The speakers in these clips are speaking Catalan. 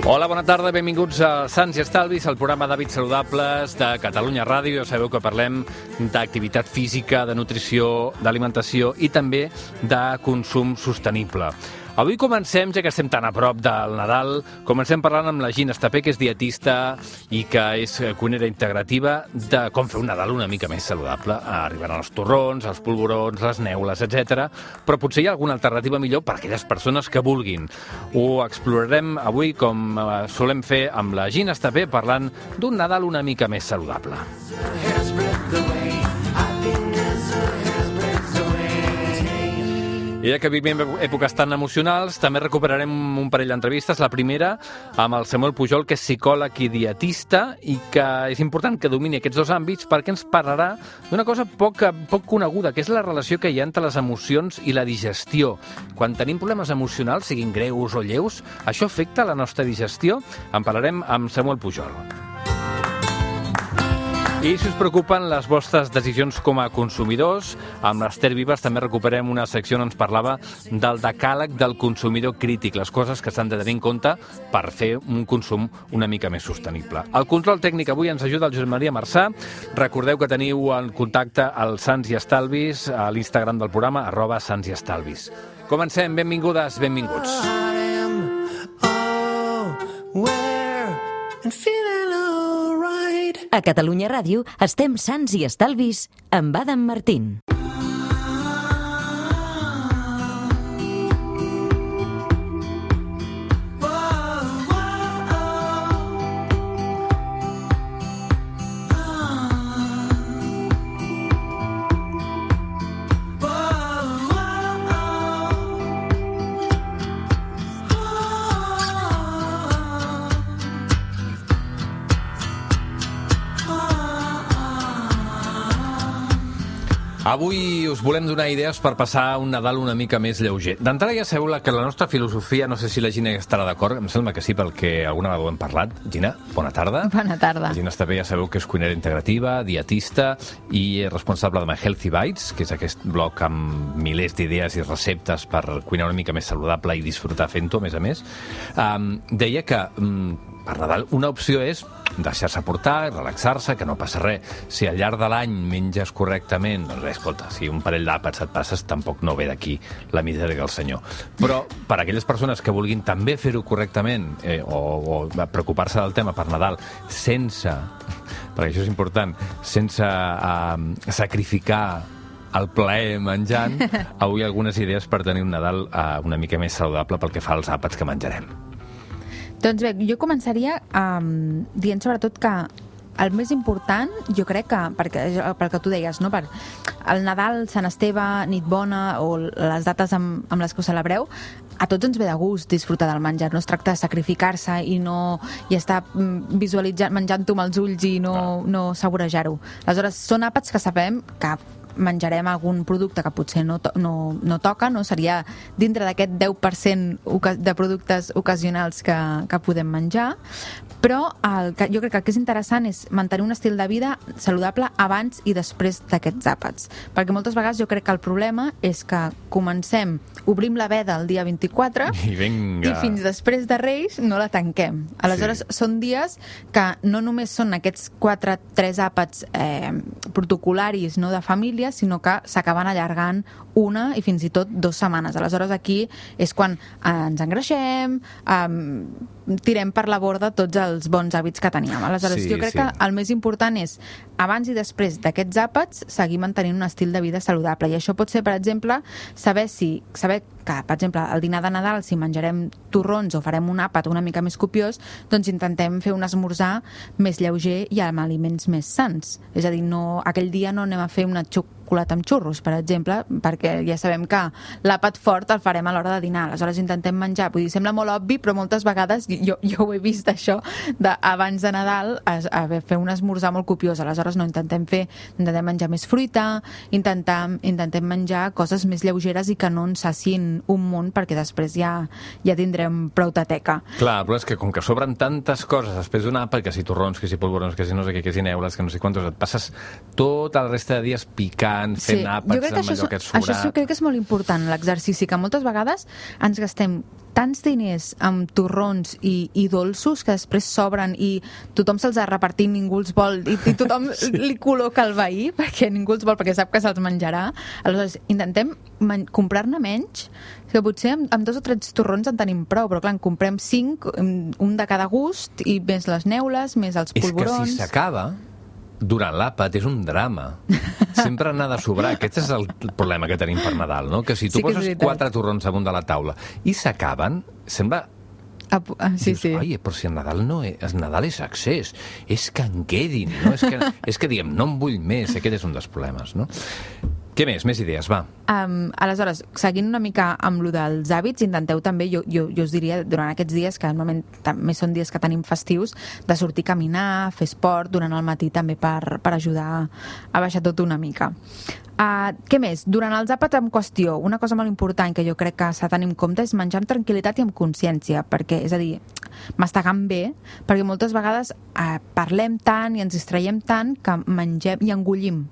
Hola, bona tarda, benvinguts a Sants i Estalvis, el programa d'hàbits saludables de Catalunya Ràdio. Ja sabeu que parlem d'activitat física, de nutrició, d'alimentació i també de consum sostenible. Avui comencem, ja que estem tan a prop del Nadal, comencem parlant amb la Gina Estapé, que és dietista i que és cuinera integrativa, de com fer un Nadal una mica més saludable. Arribaran els torrons, els polvorons, les neules, etc. Però potser hi ha alguna alternativa millor per a aquelles persones que vulguin. Ho explorarem avui, com solem fer amb la Gina Estapé, parlant d'un Nadal una mica més saludable. I ja que vivim èpoques tan emocionals, també recuperarem un parell d'entrevistes. La primera amb el Samuel Pujol, que és psicòleg i dietista, i que és important que domini aquests dos àmbits perquè ens parlarà d'una cosa poc coneguda, que és la relació que hi ha entre les emocions i la digestió. Quan tenim problemes emocionals, siguin greus o lleus, això afecta la nostra digestió? En parlarem amb Samuel Pujol. I si us preocupen les vostres decisions com a consumidors, amb l'Ester Vives també recuperem una secció on ens parlava del decàleg del consumidor crític, les coses que s'han de tenir en compte per fer un consum una mica més sostenible. El control tècnic avui ens ajuda el Josep Maria Marçà. Recordeu que teniu en contacte al Sants i Estalvis a l'Instagram del programa, @santsiestalvis. Comencem, benvingudes, benvinguts. A Catalunya Ràdio estem Sants i Estalvis amb Adam Martín. Avui us volem donar idees per passar un Nadal una mica més lleuger. D'entrada ja sabeu que la nostra filosofia, no sé si la Gina estarà d'acord, em sembla que sí, perquè alguna vegada ho hem parlat. Gina, bona tarda. Bona tarda. La Gina Estapé ja sabeu que és cuinera integrativa, dietista i responsable de My Healthy Bites, que és aquest blog amb milers d'idees i receptes per cuinar una mica més saludable i disfrutar fent-ho, a més. Deia que per Nadal una opció és deixar-se portar, relaxar-se, que no passa res. Si al llarg de l'any menges correctament, doncs bé, escolta, si un parell d'àpats et passes, tampoc no ve d'aquí la misèria del senyor. Però per a aquelles persones que vulguin també fer-ho correctament o preocupar-se del tema per Nadal sense, perquè això és important, sense sacrificar el plaer menjant, avui algunes idees per tenir un Nadal una mica més saludable pel que fa als àpats que menjarem. Doncs bé, jo començaria dient sobretot que el més important, jo crec que, pel que tu deies, no? Per el Nadal, Sant Esteve, Nit Bona o les dates amb les que ho celebreu, a tots ens ve de gust disfrutar del menjar. No es tracta de sacrificar-se i estar visualitzant, menjant-ho amb els ulls i no saborejar-ho. Aleshores, són àpats que sabem que menjarem algun producte que potser no toca, no? Seria dintre d'aquest 10% de productes ocasionals que podem menjar, però jo crec que el que és interessant és mantenir un estil de vida saludable abans i després d'aquests àpats, perquè moltes vegades jo crec que el problema és que obrim la veda el dia 24 i fins després de Reis no la tanquem. Aleshores, són dies que no només són aquests 3 àpats protocolaris, no, de família, sinó que s'acaben allargant una i fins i tot 2 setmanes. Aleshores, aquí és quan ens engreixem, tirem per la borda tots els bons hàbits que teníem. Aleshores, jo crec que el més important és, abans i després d'aquests àpats, seguir mantenint un estil de vida saludable. I això pot ser, per exemple, saber que, per exemple, el dinar de Nadal, si menjarem torrons o farem un àpat una mica més copiós, doncs intentem fer un esmorzar més lleuger i amb aliments més sans. És a dir, aquell dia no anem a fer una xocolata amb xurros, per exemple, perquè ja sabem que l'àpat fort el farem a l'hora de dinar. Aleshores intentem menjar, vull dir, sembla molt obvi, però moltes vegades jo ho he vist, això, abans de Nadal fer un esmorzar molt copiós. Aleshores intentem menjar més fruita, intentem menjar coses més lleugeres i que no ens sacin un munt, perquè després ja tindrem prou tateca. Clar, però és que com que sobren tantes coses després d'un àpat, que si torrons, que si polvorons, que si no sé què, que si neules, que no sé quantos, et passes tota la resta de dies picant, fent àpats amb allò que et sobrat. Això crec que és molt important, l'exercici, que moltes vegades ens gastem tants diners amb torrons i dolços que després sobren i tothom se'ls ha repartit, ningú els vol i tothom li col·loca al veí perquè ningú els vol, perquè sap que se'ls menjarà. Aleshores, intentem comprar-ne menys, que potser amb 2 o 3 torrons en tenim prou, però clar, en comprem 5, un de cada gust, i més les neules, més els polvorons. És que si s'acaba, durant l'àpat és un drama. Sempre n'ha de sobrar. Aquest és el problema que tenim per Nadal, no? Que si tu poses 4 torrons damunt de la taula i s'acaben, sembla... Dius, ai, però si el Nadal no és... El Nadal és excés. És que en quedin, no? És que diguem, no en vull més. Aquest és un dels problemes, no? Què més? Més idees, va. Aleshores, seguint una mica amb lo dels hàbits, intenteu també, jo us diria, durant aquests dies, que normalment també són dies que tenim festius, de sortir a caminar, fer esport durant el matí també per ajudar a baixar tot una mica. Què més? Durant els àpats en qüestió, una cosa molt important que jo crec que s'ha de tenir en compte és menjar amb tranquil·litat i amb consciència, perquè, és a dir, mastegant bé, perquè moltes vegades parlem tant i ens distraiem tant que mengem i engullim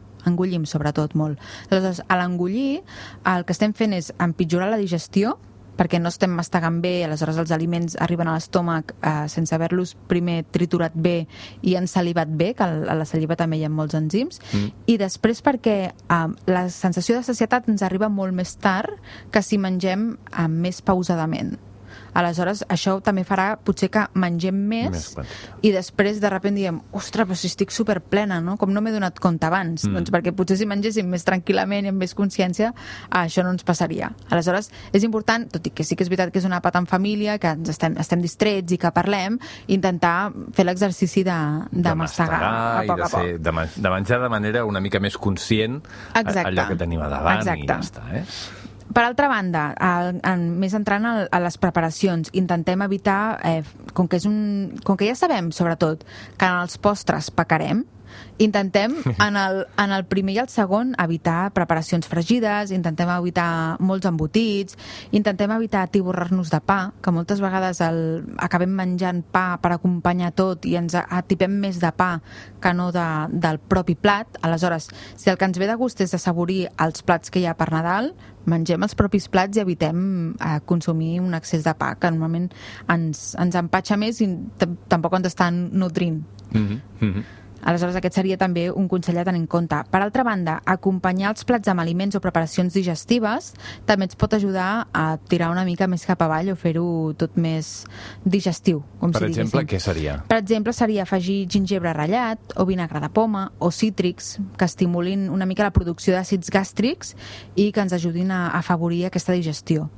sobretot molt. Aleshores, a l'engullir el que estem fent és empitjorar la digestió, perquè no estem mastegant bé, aleshores els aliments arriben a l'estómac sense haver-los primer triturat bé i ensalivat bé, que a la saliva també hi ha molts enzims, i després perquè la sensació de sacietat ens arriba molt més tard que si mengem més pausadament. Aleshores, això també farà potser que mengem més i després de sobte diem, ostres, però si estic superplena, no? Com no m'he donat compte abans? Doncs perquè potser si mengéssim més tranquil·lament i amb més consciència, això no ens passaria. Aleshores, és important, tot i que sí que és veritat que és un àpat en família, que estem distrets i que parlem, intentar fer l'exercici de mastegar a poc a poc. De menjar de manera una mica més conscient allò que tenim a davant i ja està, Per altra banda, més entrant a les preparacions, intentem evitar, com que ja sabem, sobretot, que en els postres pecarem, intentem en el primer i el segon evitar preparacions fregides, intentem evitar molts embotits, intentem evitar atiborrar-nos de pa, que moltes vegades acabem menjant pa per acompanyar tot i ens atipem més de pa que no del propi plat. Aleshores, si el que ens ve de gust és assaborir els plats que hi ha per Nadal, mengem els propis plats i evitem consumir un excés de pa, que normalment ens empatxa més i tampoc ens estan nutrint. Aleshores, aquest seria també un consell a tenir en compte. Per altra banda, acompanyar els plats amb aliments o preparacions digestives també ens pot ajudar a tirar una mica més cap avall o fer-ho tot més digestiu, com si diguéssim. Per exemple, què seria? Per exemple, seria afegir gingebre ratllat o vinagre de poma o cítrics que estimulin una mica la producció d'àcids gàstrics i que ens ajudin a afavorir aquesta digestió.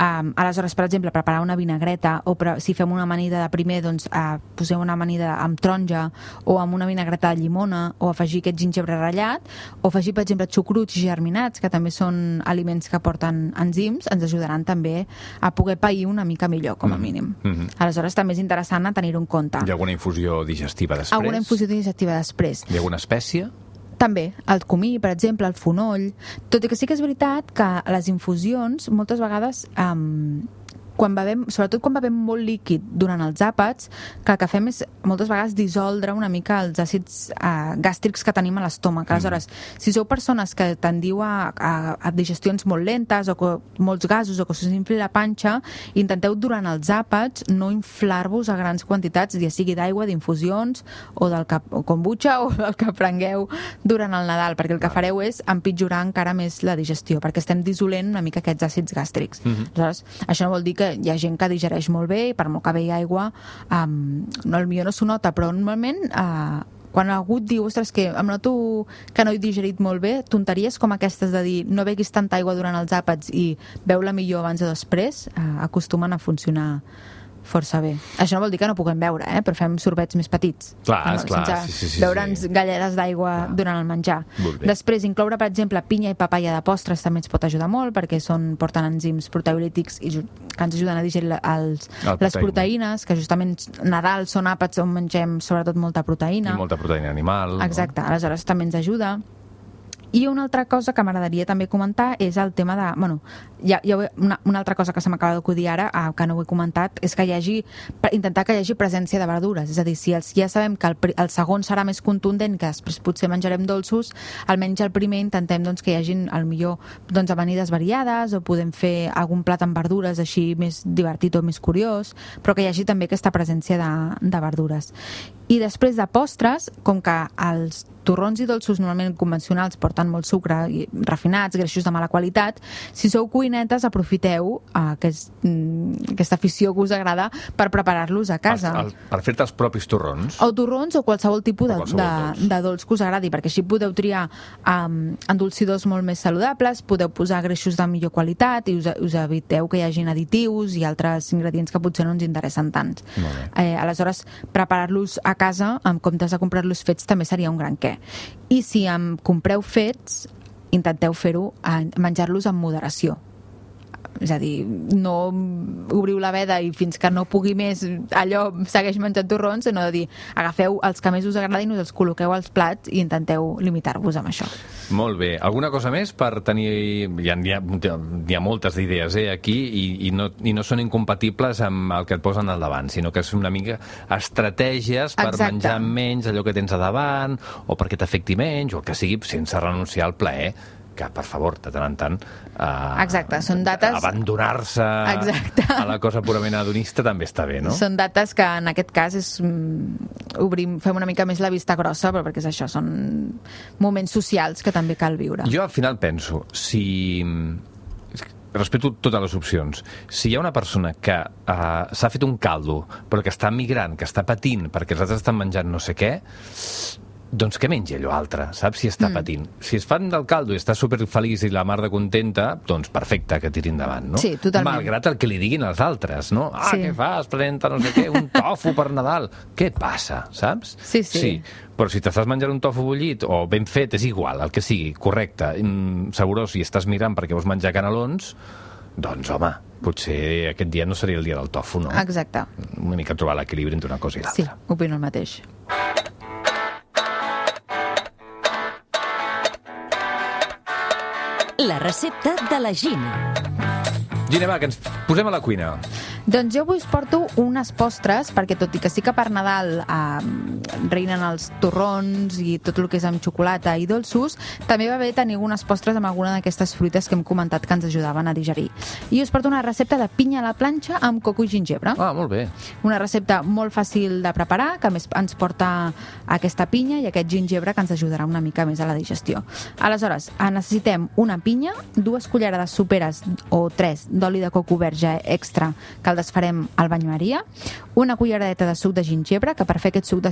Aleshores, per exemple, preparar una vinagreta o si fem una amanida de primer, doncs posem una amanida amb taronja o amb una vinagreta de llimona o afegir aquest gingebre ratllat o afegir, per exemple, xucruts germinats, que també són aliments que porten enzims, ens ajudaran també a poder pair una mica millor, com a mínim. Aleshores, també és interessant a tenir-ho en compte. Hi ha alguna infusió digestiva després? Alguna infusió digestiva després. Hi ha alguna espècie? També, el comí, per exemple, el fonoll. Tot i que sí que és veritat que les infusions, moltes vegades, sobretot quan bevem molt líquid durant els àpats, que el que fem és moltes vegades dissoldre una mica els àcids gàstrics que tenim a l'estómac. Aleshores, si sou persones que tendiu a digestions molt lentes o molts gasos o que us infli la panxa, intenteu durant els àpats no inflar-vos a grans quantitats, ja sigui d'aigua, d'infusions o kombucha o del que prengueu durant el Nadal, perquè el que fareu és empitjorar encara més la digestió, perquè estem dissolent una mica aquests àcids gàstrics. Aleshores, això no vol dir que hi ha gent que digereix molt bé i per molt que behi aigua potser no s'ho nota, però normalment quan algú et diu, ostres, que em noto que no he digerit molt bé, tonteries com aquestes de dir no beguis tanta aigua durant els àpats i beu-la millor abans o després acostumen a funcionar força bé. Això no vol dir que no puguem beure, però fem sorbets més petits. Clar. Sense beure'ns galledes d'aigua durant el menjar. Després, incloure, per exemple, pinya i papaya de postres també ens pot ajudar molt perquè porten enzims proteolítics que ens ajuden a digerir les proteïnes, que justament Nadal són àpats on mengem sobretot molta proteïna. I molta proteïna animal. Exacte, aleshores també ens ajuda. I una altra cosa que m'agradaria també comentar és el tema de... Una altra cosa que se m'acaba d'acudir ara, que no ho he comentat, és que intentar que hi hagi presència de verdures. És a dir, si ja sabem que el segon serà més contundent, que després potser menjarem dolços, almenys el primer intentem que hi hagin, millor, amanides variades, o podem fer algun plat amb verdures així més divertit o més curiós, però que hi hagi també aquesta presència de verdures. I després de postres, com que els torrons i dolços normalment convencionals porten molt sucre, refinats, greixos de mala qualitat, si sou cuinetes, aprofiteu aquesta afició que us agrada per preparar-los a casa. Per fer-te els propis torrons? O torrons o qualsevol tipus de dolç que us agradi, perquè així podeu triar endolcidors molt més saludables, podeu posar greixos de millor qualitat i us eviteu que hi hagin additius i altres ingredients que potser no ens interessen tant. Aleshores, preparar-los a casa, en comptes de comprar-los fets, també seria un gran què. I si em compreu fets, intenteu fer-ho, menjar-los amb moderació. És a dir, no obriu la veda i fins que no pugui més allò segueix menjant torrons, sinó de dir, agafeu els que més us agradin, us els col·loqueu als plats i intenteu limitar-vos amb això. Molt bé. Alguna cosa més per tenir... Hi ha moltes idees aquí i no són incompatibles amb el que et posen al davant, sinó que és una mica estratègies per menjar menys allò que tens a davant o perquè t'afecti menys o que sigui sense renunciar al plaer, que, per favor, de tant en tant són dates... abandonar-se a la cosa purament hedonista també està bé, no? Són dates que, en aquest cas, fem una mica més la vista grossa, però perquè és això, són moments socials que també cal viure. Jo, al final, penso, respeto totes les opcions. Si hi ha una persona que s'ha fet un caldo, però que està migrant, que està patint perquè els altres estan menjant no sé què, doncs què menja allò altre, saps? Si està patint. Si es fan del caldo i està superfeliç i la mar de contenta, doncs perfecte, que tiri endavant, no? Sí, totalment. Malgrat el que li diguin els altres, no? Què fas? Presenta no sé què, un tofu per Nadal. Què passa, saps? Sí. Però si t'estàs menjant un tofu bullit o ben fet, és igual, el que sigui, correcte, segurós, si estàs mirant perquè vols menjar canelons, doncs, home, potser aquest dia no seria el dia del tofu, no? Exacte. Una mica trobar l'equilibri entre una cosa i l'altra. Sí, opino el mateix. La recepta de la Gina. Gina, va, que ens posem a la cuina. Doncs jo avui us porto unes postres, perquè tot i que sí que per Nadal reinen els torrons i tot el que és amb xocolata i dolços, també va bé tenir unes postres amb alguna d'aquestes fruites que hem comentat que ens ajudaven a digerir. I us porto una recepta de pinya a la planxa amb coco i gingebre. Ah, molt bé. Una recepta molt fàcil de preparar, que a més ens porta aquesta pinya i aquest gingebre que ens ajudarà una mica més a la digestió. Aleshores, necessitem una pinya, 2 cullerades soperes o 3 d'oli de coco verge extra que el desfarem al bany Maria, una culleradeta de suc de gingebre, que per fer aquest suc de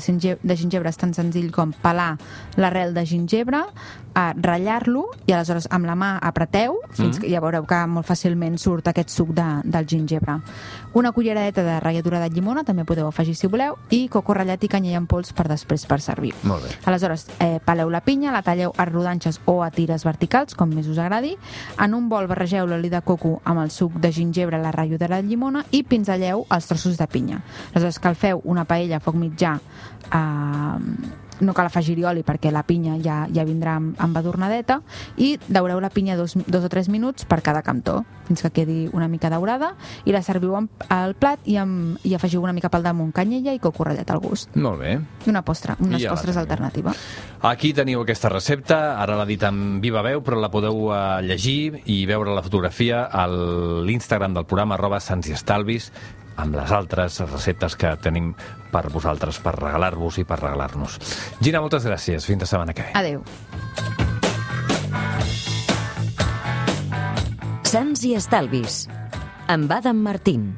gingebre és tan senzill com pelar l'arrel de gingebre, ratllar-lo i aleshores amb la mà apreteu fins que ja veureu que molt fàcilment surt aquest suc del gingebre. Una culleradeta de ratlladura de llimona, també podeu afegir si voleu, i coco ratllat i canyella en pols per després per servir. Molt bé. Aleshores, peleu la pinya, la talleu a rodanxes o a tires verticals, com més us agradi. En un bol barregeu l'oli de coco amb el suc de gingebre, la ratlladura de llimona i pinzelleu els trossos de pinya. Aleshores, calfeu una paella a foc mitjà, no cal afegir-hi oli perquè la pinya ja vindrà amb adornadeta, i daureu la pinya 2 o 3 minuts per cada cantó, fins que quedi una mica daurada, i la serviu al plat i afegiu una mica pel damunt canyella i coco ratllat al gust. Molt bé. I unes postres alternativa. Aquí teniu aquesta recepta, ara l'ha dit en viva veu, però la podeu llegir i veure la fotografia a l'Instagram del programa @sansiestalvis, amb les altres receptes que tenim per vosaltres, per regalar-vos i per regalar-nos. Gina, moltes gràcies. Fins la setmana que ve. Adéu. Sants i Estalvis, amb Adam Martín.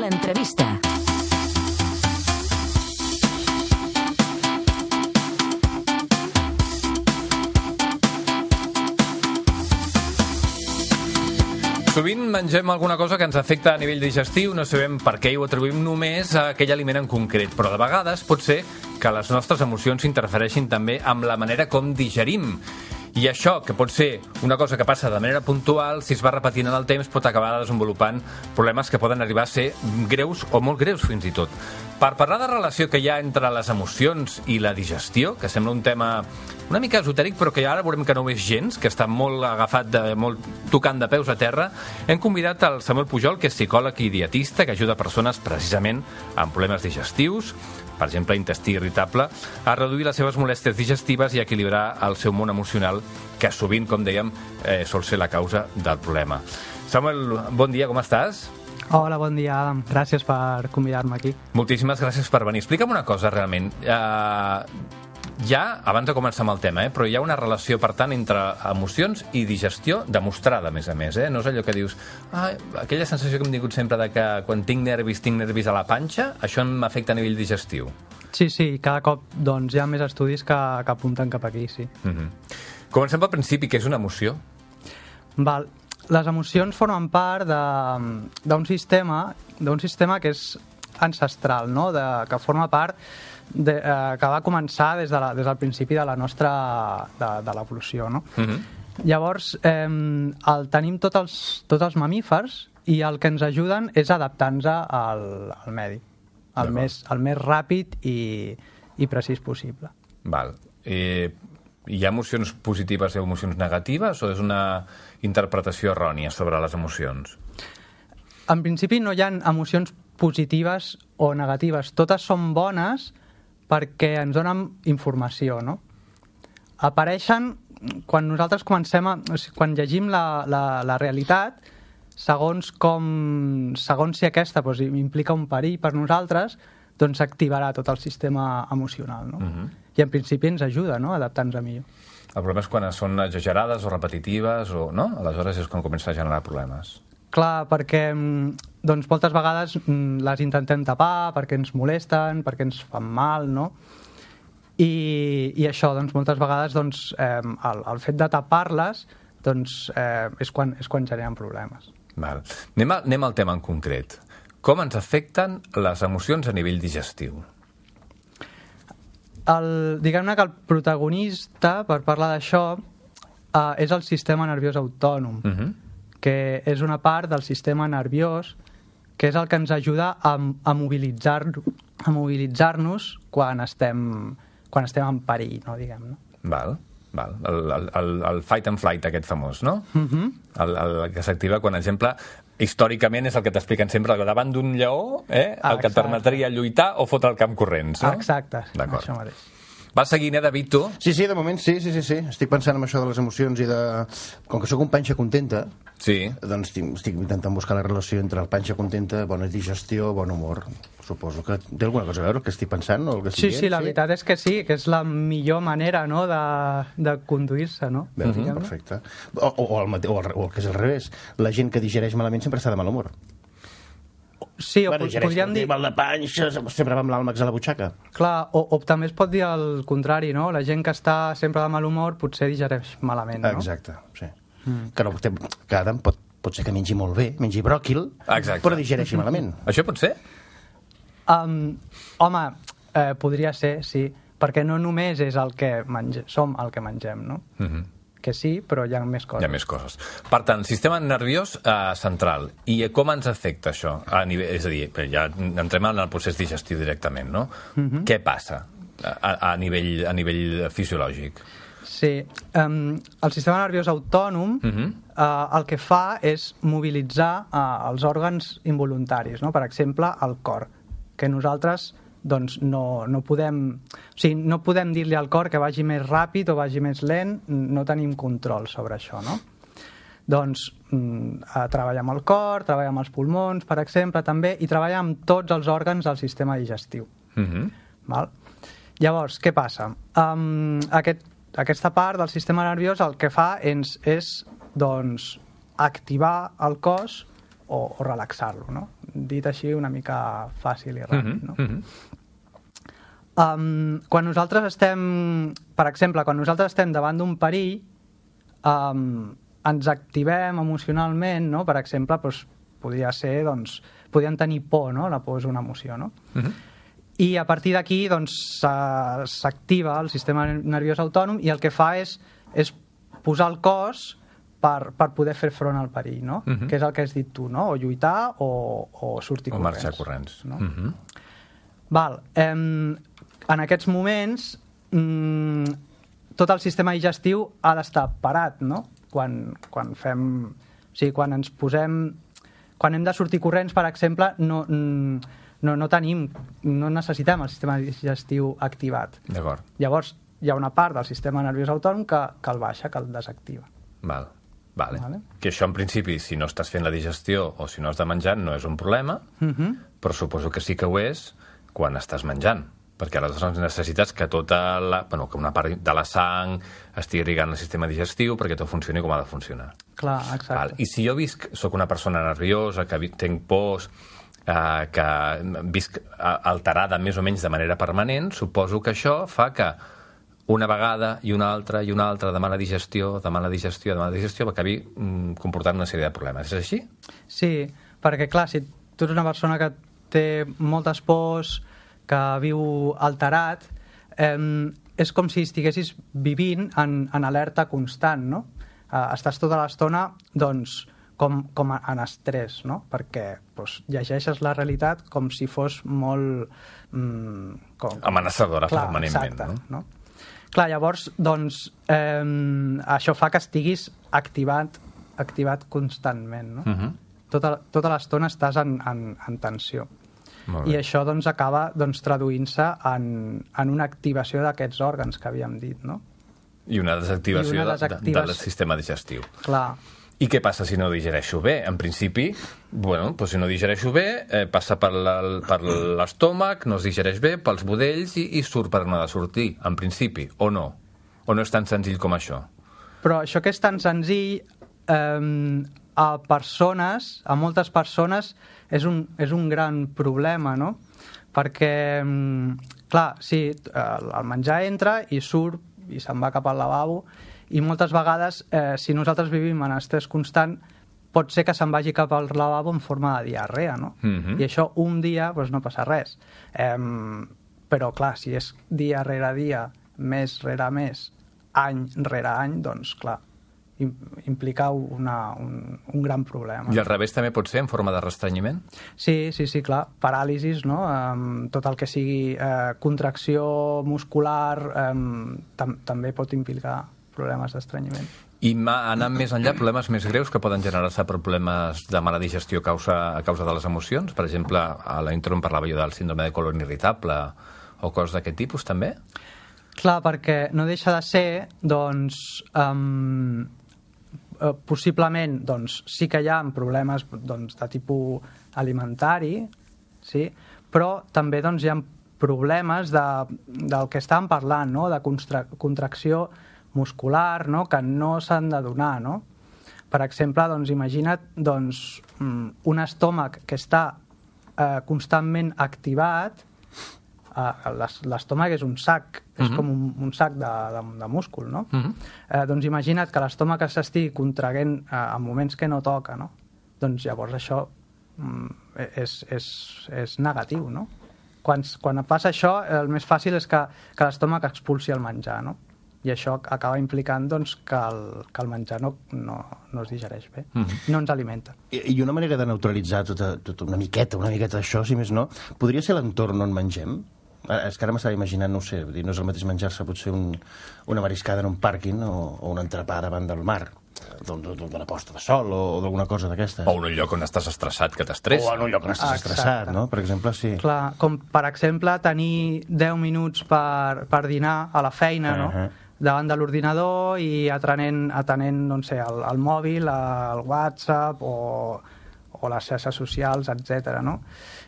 L'entrevista. Sovint mengem alguna cosa que ens afecta a nivell digestiu, no sabem per què i ho atribuïm només a aquell aliment en concret, però de vegades pot ser que les nostres emocions interfereixin també amb la manera com digerim. I això, que pot ser una cosa que passa de manera puntual, si es va repetint en el temps, pot acabar desenvolupant problemes que poden arribar a ser greus o molt greus fins i tot. Per parlar de relació que hi ha entre les emocions i la digestió, que sembla un tema una mica esotèric, però que ara veurem que no ho és gens, que està molt agafat, molt tocant de peus a terra, hem convidat el Samuel Pujol, que és psicòleg i dietista, que ajuda persones precisament amb problemes digestius, per exemple, intestí irritable, a reduir les seves molèsties digestives i a equilibrar el seu món emocional, que sovint, com dèiem, sol ser la causa del problema. Samuel, bon dia, com estàs? Hola, bon dia, Adam. Gràcies per convidar-me aquí. Moltíssimes gràcies per venir. Explica'm una cosa, realment. Ja, abans de començar amb el tema, però hi ha una relació, per tant, entre emocions i digestió demostrada, a més. No és allò que dius, aquella sensació que hem tingut sempre de que quan tinc nervis a la panxa, això m'afecta a nivell digestiu. Sí, cada cop doncs, hi ha més estudis que apunten cap aquí, sí. Comencem pel principi, que és una emoció. Val. Les emocions formen part d'un sistema que és ancestral, no? Que forma part que va començar des del principi de la nostra de l'evolució, no? Llavors el tenim tots els mamífers i el que ens ajuden és adaptar-nos al medi el més ràpid i precís possible. Val. Hi ha emocions positives i emocions negatives o és una interpretació errònia sobre les emocions? En principi no hi ha emocions positives o negatives. Totes són bones perquè ens donen informació, no? Apareixen quan nosaltres quan llegim la realitat, segons si aquesta implica un perill per nosaltres, doncs s'activarà tot el sistema emocional, no? I en principi ens ajuda, no?, a adaptar-nos a millor. El problema és quan són exagerades o repetitives, no? Aleshores és quan comença a generar problemes. Clar, perquè doncs, moltes vegades les intentem tapar, perquè ens molesten, perquè ens fan mal, no? I això, doncs, moltes vegades doncs, el fet de tapar-les doncs, és quan generen problemes. Val. Anem al tema en concret. Com ens afecten les emocions a nivell digestiu? Diguem-ne que el protagonista, per parlar d'això, és el sistema nerviós autònom, que és una part del sistema nerviós que és el que ens ajuda a mobilitzar-nos quan estem en perill, no, diguem-ne. Val. El fight and flight aquest famós, no? El que s'activa quan, per exemple, històricament és el que t'expliquen sempre, que davant d'un lleó el que et permetria lluitar o fotre el camp corrents, no? Exacte, això mateix. Vas seguint, David, tu? Sí, de moment sí. Estic pensant en això de les emocions i de... Com que sóc un panxa contenta, doncs estic intentant buscar la relació entre el panxa contenta, bona digestió, bon humor. Suposo que té alguna cosa a veure el que estic pensant o el que estic dient. Sí, la veritat és que sí, que és la millor manera, no?, de conduir-se, no? Perfecte. O el que és al revés. La gent que digereix malament sempre està de mal humor. Sí, o podríem dir... Mal de panxa, sempre va amb l'àlmax a la butxaca. Clar, o també es pot dir el contrari, no? La gent que està sempre de mal humor potser digereix malament, no? Exacte, sí. Que Adam pot ser que mengi molt bé, mengi bròquil, però digereixi malament. Això pot ser? Home, podria ser, sí, perquè no només és som el que mengem, no? Que sí, però hi ha més coses. Hi ha més coses. Per tant, sistema nerviós central. I com ens afecta això? És a dir, ja entrem en el procés digestiu directament, no? Què passa a nivell fisiològic? Sí, el sistema nerviós autònom el que fa és mobilitzar els òrgans involuntaris, no? Per exemple, el cor, que nosaltres doncs no podem dir-li al cor que vagi més ràpid o vagi més lent, no tenim control sobre això, no? Doncs treballa amb el cor, treballa amb els pulmons, per exemple, també, i treballa amb tots els òrgans del sistema digestiu. Val? Llavors, què passa? Aquesta part del sistema nerviós el que fa és doncs, activar el cos o relaxar-lo, no? Dit així una mica fàcil i ràpid, no? Quan nosaltres estem, per exemple, davant d'un perill, ens activem emocionalment, no? Per exemple, doncs, podríem tenir por, no? La por és una emoció, no? I a partir d'aquí doncs, s'activa el sistema nerviós autònom i el que fa és posar el cos per poder fer front al perill, no? Que és el que has dit tu, no? O lluitar o sortir corrents. O marxar corrents. No? Val. En aquests moments tot el sistema digestiu ha d'estar parat, no? Quan ens posem... Quan hem de sortir corrents, per exemple, no necessitem el sistema digestiu activat. D'acord. Llavors, hi ha una part del sistema nerviós autònom que el baixa, que el desactiva. Vale. Que això, en principi, si no estàs fent la digestió o si no has de menjar, no és un problema, però suposo que sí que ho és quan estàs menjant, perquè aleshores necessites que que una part de la sang estigui irrigant el sistema digestiu perquè tot funcioni com ha de funcionar. Clar, exacte. I si jo soc una persona nerviosa, que tinc pors, que visc alterada més o menys de manera permanent, suposo que això fa que una vegada i una altra de mala digestió acabi comportant una sèrie de problemes. És així? Sí, perquè clar, si tu ets una persona que té moltes pors, que viu alterat, és com si estiguessis vivint en alerta constant, no? Estàs tota l'estona, doncs, com en estrès, no? Perquè llegeixes la realitat com si fos molt... amenaçadora permanentment, exacte, no? Clar, llavors, doncs, això fa que estiguis activat constantment, no? Tota l'estona estàs en tensió. I això doncs, acaba traduint-se en una activació d'aquests òrgans que havíem dit, no? I una desactivació del sistema digestiu. Clar. I què passa si no digereixo bé? En principi, si no digereixo bé, passa per l'estómac, no es digereix bé, pels budells i surt per on ha de sortir, en principi, o no? O no és tan senzill com això? Però això que és tan senzill, a moltes persones, és un gran problema, no? Perquè, clar, sí, el menjar entra i surt i se'n va cap al lavabo, i moltes vegades, si nosaltres vivim en estrès constant, pot ser que se'n vagi cap al lavabo en forma de diarrea, no? I això un dia no passa res. Però, clar, si és dia rere dia, mes rere mes, any rere any, doncs, clar, implica un gran problema. I al revés també pot ser en forma de restrenyiment? Sí, clar. Paràlisis, no? Tot el que sigui contracció muscular també pot implicar problemes d'estrenyiment. I anant més enllà, problemes més greus que poden generar-se per problemes de mala digestió a causa de les emocions? Per exemple, a la intro en parlava jo del síndrome de colon irritable o coses d'aquest tipus, també? Clar, perquè no deixa de ser, doncs, possiblement, doncs, sí que hi ha problemes de tipus alimentari, sí? Però també doncs, hi ha problemes del que estàvem parlant, no? De contracció muscular, no? Que no s'han de donar, no? Per exemple, doncs, imagina't un estómac que està constantment activat. L'estómac és un sac, és com un sac de múscul, no? Doncs imagina't que l'estómac s'estigui contraguent en moments que no toca, no? Doncs llavors això és negatiu, no? Quan passa això, el més fàcil és que l'estómac expulsi el menjar, no? I això acaba implicant doncs, que el menjar no es digereix bé, no ens alimenta. I una manera de neutralitzar una miqueta d'això, si més no, podria ser l'entorn on mengem? És que ara m'estava imaginant, no sé, no és el mateix menjar-se potser una mariscada en un pàrquing o un entrepà davant del mar, d'una posta de sol o d'alguna cosa d'aquestes. O en un lloc on estàs estressat, que t'estressa. O en un lloc on estàs estressat, no? Per exemple, sí. Clar, com per exemple tenir 10 minuts per dinar a la feina, no? Davant de l'ordinador i atenent no sé, el mòbil, el WhatsApp o les xarxes socials, etc. No?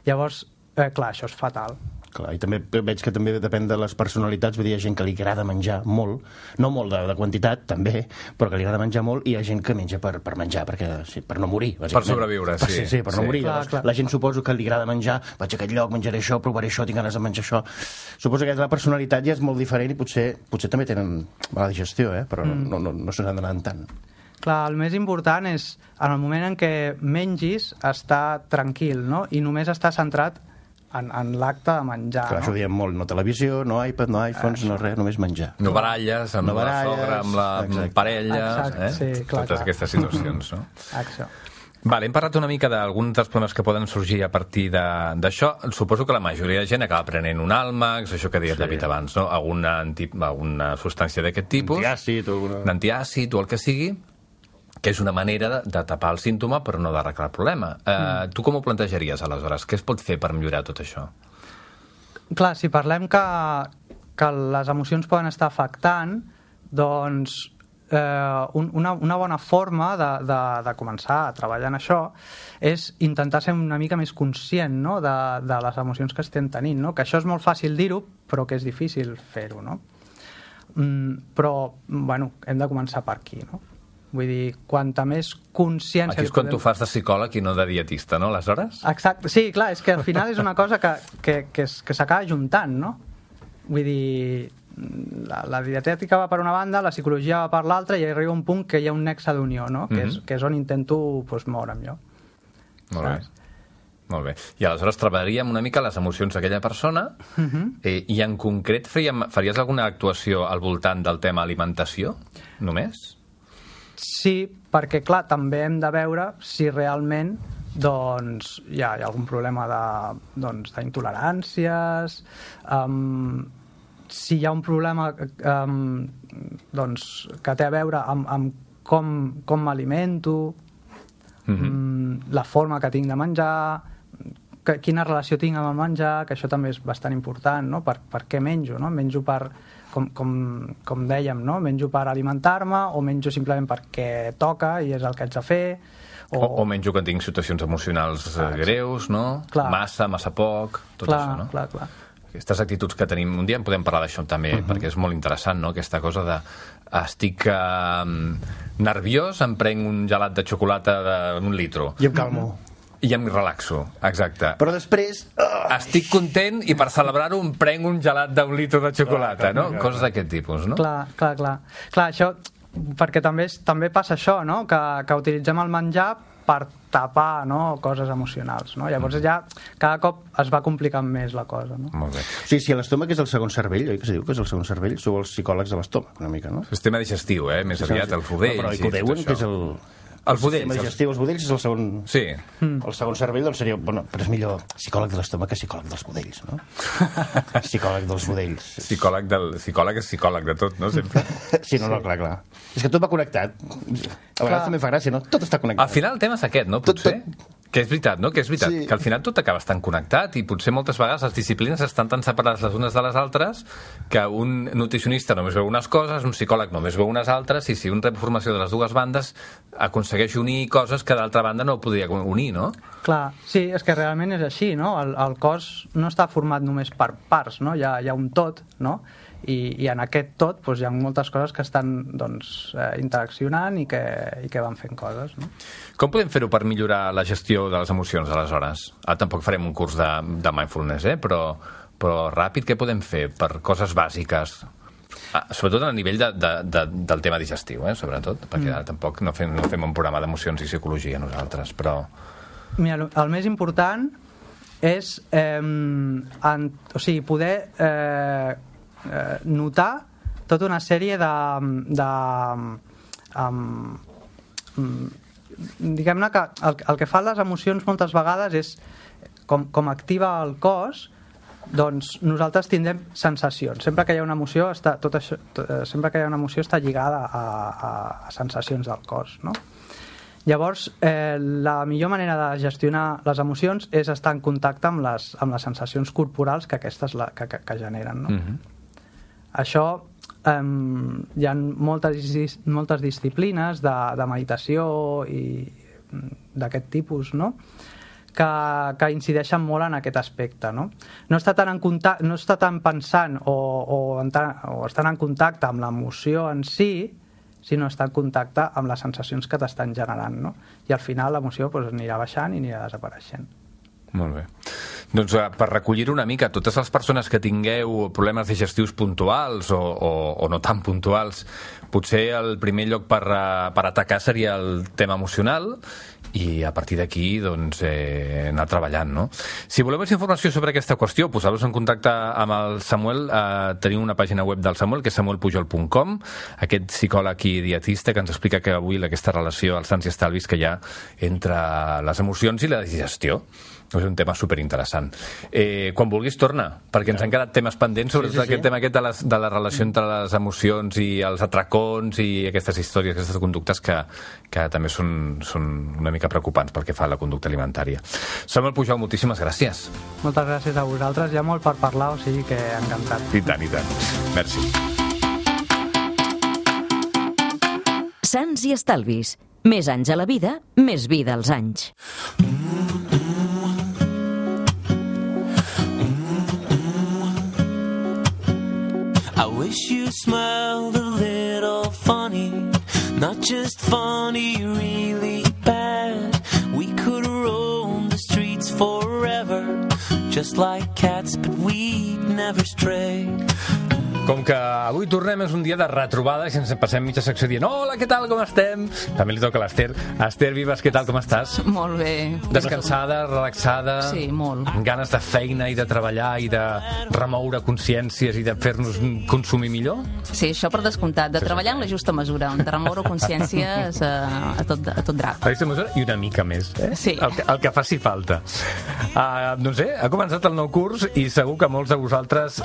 Llavors, clar, això és fatal. Clar, i també veig que també depèn de les personalitats, vull dir, hi ha gent que li agrada menjar molt, no molt de quantitat, també, però que li agrada menjar molt, i hi ha gent que menja per menjar, per no morir, bàsicament. Per sobreviure, sí. Sí, per no morir. Clar. La gent suposo que li agrada menjar, vaig a aquest lloc, menjaré això, provaré això, tinc ganes de menjar això. Suposo que la personalitat ja és molt diferent i potser també tenen mala digestió, però no se n'han d'anar tant. Clar, el més important és, en el moment en què mengis, estar tranquil, no? I només estar centrat en l'acte de menjar. Clar, això ho diem molt, no televisió, no iPad, no iPhones, no res, només menjar. No baralles, amb la sogra, amb la parella, totes aquestes situacions, no? Exacte. Vale, hem parlat una mica d'alguns dels problemes que poden sorgir a partir d'això. Suposo que la majoria de gent acaba prenent un Almax, això que deia el David abans, no? Alguna substància d'aquest tipus. D'antiàcid o el que sigui, que és una manera de tapar el símptoma però no d'arreglar el problema. Tu com ho plantejaries, aleshores? Què es pot fer per millorar tot això? Clar, si parlem que les emocions poden estar afectant, doncs una bona forma de començar a treballar en això és intentar ser una mica més conscient, no? de les emocions que estem tenint, no? Que això és molt fàcil dir-ho, però que és difícil fer-ho, no? Però, bueno, hem de començar per aquí, no? Vull dir, quanta més consciència... Aquí és quan tu fas de psicòleg i no de dietista, no, aleshores? Exacte, sí, clar, és que al final és una cosa que s'acaba juntant, no? Vull dir, la dietètica va per una banda, la psicologia va per l'altra, i arriba un punt que hi ha un nexe d'unió, no? Que és on intento moure'm jo. Molt bé. Molt bé. I aleshores treballaríem una mica les emocions d'aquella persona i en concret faries alguna actuació al voltant del tema alimentació, només? Sí, perquè clar, també hem de veure si realment doncs hi ha algun problema d'intoleràncies, si hi ha un problema doncs, que té a veure amb com m'alimento, la forma que tinc de menjar, quina relació tinc amb el menjar, que això també és bastant important, no? Per què menjo, no? Menjo per, com dèiem, no? Menjo per alimentar-me o menjo simplement perquè toca i és el que haig de fer, o menjo que tinc situacions emocionals greus, no? Clar. Massa poc, tot això, no? Clar. Aquestes actituds que tenim, un dia en podem parlar d'això també, perquè és molt interessant, no? Aquesta cosa de estic nerviós, em prenc un gelat de xocolata d'un litro. I em calmo. I em relaxo, exacte. Però després... Estic content i per celebrar-ho em prenc un gelat d'un litro de xocolata, no? Coses d'aquest tipus, no? Clar, això, perquè també passa això, no? Que utilitzem el menjar per tapar, no? Coses emocionals, no? Llavors ja cada cop es va complicant més la cosa, no? Molt bé. Sí, si l'estómac és el segon cervell, oi que se diu que és el segon cervell? Sou els psicòlegs de l'estómac, una mica, no? Sistema digestiu, més aviat, el budells. Però que ho deuen, que és el... Els budells. El sistema digestiu, els budells és el segon... Sí. El segon cervell, doncs seria... Bueno, però és millor psicòleg de l'estómac que psicòleg dels budells, no? Psicòleg dels budells. Psicòleg és psicòleg de tot, no? Sempre. Sí, no, clar. És que tot va connectat. A vegades també fa gràcia, no? Tot està connectat. Al final el tema és aquest, no? Potser... Que és veritat, no? Que és veritat, sí. Que al final tot acaba estant connectat i potser moltes vegades les disciplines estan tan separades les unes de les altres que un nutricionista només veu unes coses, un psicòleg només veu unes altres, i si un rep formació de les dues bandes aconsegueix unir coses que d'altra banda no podria unir, no? Clar, sí, és que realment és així, no? El cos no està format només per parts, no? Hi ha un tot, no? I en aquest tot doncs, hi ha moltes coses que estan doncs, interaccionant i que van fent coses, no? Com podem fer-ho per millorar la gestió de les emocions, aleshores? Tampoc farem un curs de mindfulness, però ràpid, què podem fer per coses bàsiques? Sobretot a nivell del tema digestiu, sobretot, perquè ara tampoc no fem un programa d'emocions i psicologia nosaltres, però... Mira, el més important és poder notar tota una sèrie diguem-ne que el que fan les emocions moltes vegades és com activa el cos, doncs nosaltres tindrem sensacions. Sempre que hi ha una emoció sempre que hi ha una emoció està lligada a sensacions del cos, no? Llavors, la millor manera de gestionar les emocions és estar en contacte amb les sensacions corporals que aquestes que generen, no? Això, hi ha moltes disciplines de meditació i d'aquest tipus, no? Que incideixen molt en aquest aspecte, no? No està tant pensant o estan en contacte amb l'emoció en si, sinó estar en contacte amb les sensacions que t'estan generant, no? I al final l'emoció anirà baixant i anirà desapareixent. Molt bé. Doncs per recollir una mica, totes les persones que tingueu problemes digestius puntuals o no tan puntuals, potser el primer lloc per atacar seria el tema emocional, i a partir d'aquí doncs, anar treballant, no? Si voleu més informació sobre aquesta qüestió, poseu-vos en contacte amb el Samuel. Tenim una pàgina web del Samuel, que és samuelpujol.com, aquest psicòleg i dietista que ens explica que avui aquesta relació als sants i estalvis que hi ha entre les emocions i la digestió. És un tema superinteressant. Quan vulguis, torna, perquè ens han quedat temes pendents sobre aquest tema de la relació entre les emocions i els atracons i aquestes històries, aquestes conductes que també són una mica preocupants pel que fa a la conducta alimentària. Samuel Pujol, moltíssimes gràcies. Moltes gràcies a vosaltres. Hi ha molt per parlar, o sigui que encantat. I tant, i tant. Merci. Sants i estalvis. Més anys a la vida, més vida als anys. I wish you smiled a little funny, not just funny, really bad. We could roam the streets forever, just like cats, but we'd never stray. Com que avui tornem, és un dia de retrobada, i ens passem mitja secció dient hola, què tal, com estem? També li toca a l'Ester. Esther Vives, què tal, com estàs? Molt bé. Descansada, relaxada? Sí, molt. Amb ganes de feina i de treballar i de remoure consciències i de fer-nos consumir millor? Sí, això per descomptat. De treballar en la justa mesura, de remoure consciències a tot drap. A aquesta mesura i una mica més, eh? Sí. El que faci falta. Doncs ha començat el nou curs i segur que molts de vosaltres,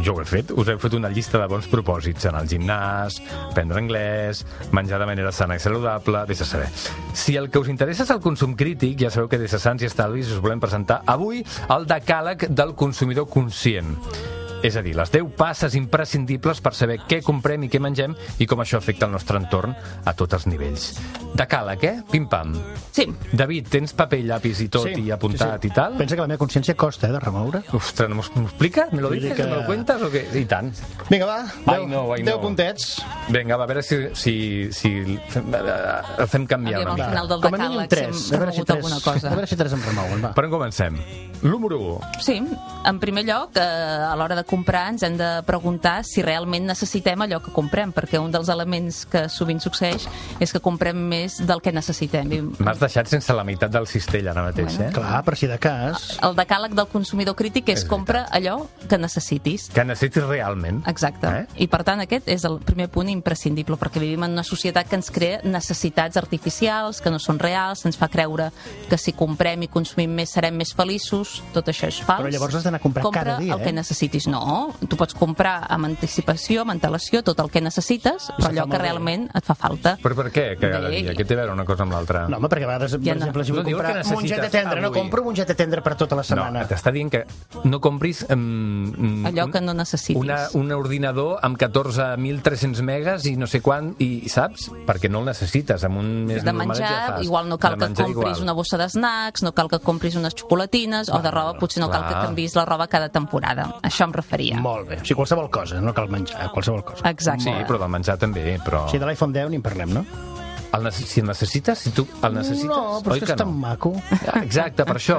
jo ho he fet, us heu fet una llista de bons propòsits, anar al gimnàs, aprendre anglès, menjar de manera sana i saludable, vés a saber. Si el que us interessa és el consum crític, ja sabeu que des de Sants i Estalvis us volem presentar avui el decàleg del consumidor conscient. És a dir, les 10 passes imprescindibles per saber què comprem i què mengem i com això afecta el nostre entorn a tots els nivells. Decàleg, Pim-pam. Sí. David, tens paper, llapis i tot i apuntat i tal? Pensa que la meva consciència costa, de remoure. Ostres, ¿m'ho expliques? ¿Me lo dices? Que... ¿Me lo cuentas o què? I tant. Vinga, va, 10 puntets. Vinga, va, a veure si el fem canviar una mica. Al final del com a mínim 3. A veure si 3 em remouen, va. Per on comencem? Número 1. Sí, en primer lloc, a l'hora de comprar ens hem de preguntar si realment necessitem allò que comprem, perquè un dels elements que sovint succeeix és que comprem més del que necessitem. M'has deixat sense la meitat del cistell ara mateix, Clar, per si de cas. El decàleg del consumidor crític és compra allò que necessitis. Que necessitis realment. Exacte. I per tant aquest és el primer punt imprescindible, perquè vivim en una societat que ens crea necessitats artificials, que no són reals, ens fa creure que si comprem i consumim més serem més feliços. Tot això és fals. Però llavors has d'anar a comprar cada dia, el que necessitis. No, tu pots comprar amb anticipació, amb antelació, tot el que necessites, però allò que realment et fa falta. Però per què cada dia? Què té a veure una cosa amb l'altra? No, home, perquè a vegades, per exemple, si vull comprar mongeta tendra, no compro mongeta tendra per tota la setmana. No, t'està dient que no compris allò que no necessitis. Un ordinador amb 14.300 megas i no sé quant, i saps? Perquè no el necessites. Amb un més de menjar, igual no cal que compris una bossa d'snacks, no cal que compris unes xocolatines, o de roba, potser no cal que canvis la roba cada temporada. Això em referia. Molt bé. O sigui, qualsevol cosa, no cal menjar, qualsevol cosa. Exacte. Sí, però del menjar també, però... Sí, de l'iPhone 10 ni en parlem, no? Si el necessites, si tu el necessites... No, però és que és tan maco. Exacte, per això,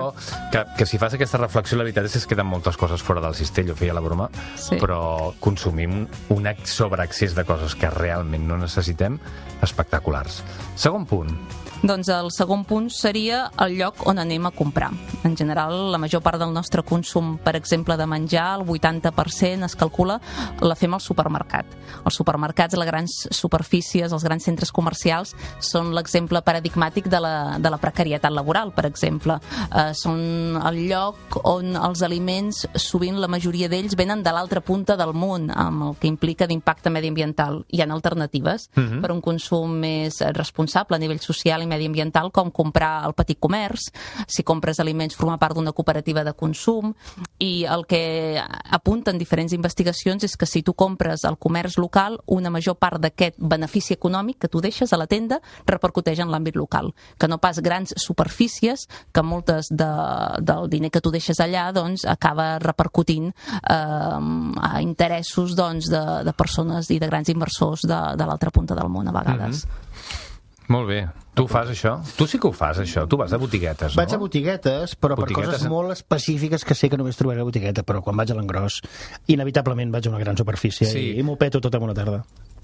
que si fas aquesta reflexió, la veritat és que es queden moltes coses fora del cistell, ho feia la broma, però consumim un sobreaccés de coses que realment no necessitem, espectaculars. Segon punt. Doncs el segon punt seria el lloc on anem a comprar. En general, la major part del nostre consum, per exemple, de menjar, el 80% es calcula, la fem al supermercat. Els supermercats, les grans superfícies, els grans centres comercials són l'exemple paradigmàtic de la precarietat laboral, per exemple. Són el lloc on els aliments, sovint la majoria d'ells, venen de l'altra punta del món, amb el que implica d'impacte mediambiental. Hi ha alternatives per un consum més responsable a nivell social i mediambiental, com comprar al petit comerç, si compres aliments formar part d'una cooperativa de consum, i el que apunten diferents investigacions és que si tu compres al comerç local, una major part d'aquest benefici econòmic que tu deixes a la tenda repercuteix en l'àmbit local, que no pas grans superfícies, que moltes del diner que tu deixes allà doncs acaba repercutint a interessos doncs, de persones i de grans inversors de l'altra punta del món a vegades. Molt bé. Tu fas això? Tu sí que ho fas, això. Tu vas a botiguetes, no? Vaig a botiguetes, però per coses molt específiques que sé que només trobaré a botigueta, però quan vaig a l'engròs, inevitablement vaig a una gran superfície i m'ho peto tot en una tarda.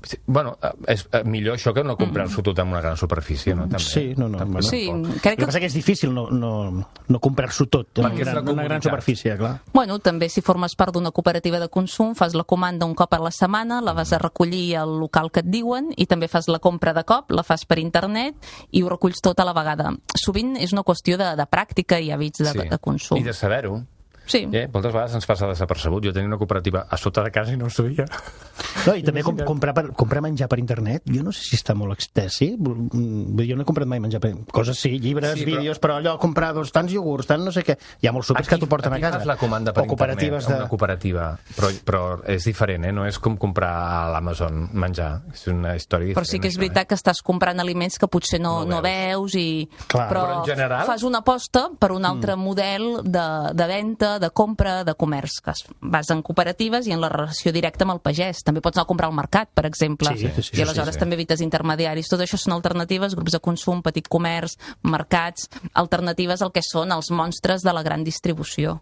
Sí, bueno, és millor això que no comprar-s'ho tot en una gran superfície, no? També. Sí, no. Bueno, sí, crec que... El que passa que és difícil no comprar-s'ho tot en una gran superfície, clar. Bueno, també si formes part d'una cooperativa de consum, fas la comanda un cop a la setmana, la vas a recollir al local que et diuen i també fas la compra de cop, la fas per internet i ho reculls tot a la vegada. Sovint és una qüestió de pràctica i hàbits de consum. I de saber-ho. Sí. Moltes vegades ens passa desapercebut. Jo tenia una cooperativa a sota de casa i no ho sabia. No, i també comprar menjar per internet, jo no sé si està molt extès, sí? Jo no he comprat mai menjar per... Coses sí, llibres, vídeos, però allò, comprar tants iogurts, tant no sé què... Hi ha molts súpers que t'ho porten a casa. Aquí fas la comanda per internet, una cooperativa, però és diferent, no és com comprar a l'Amazon menjar. És una història diferent. Però sí que és veritat que estàs comprant aliments que potser no veus i... Però en general... fas una aposta per un altre model de venda, de compra, de comerç, que vas en cooperatives i en la relació directa amb el pagès. També pots anar a comprar al mercat, per exemple, i aleshores també evites intermediaris. Tot això són alternatives, grups de consum, petit comerç, mercats, alternatives al que són els monstres de la gran distribució.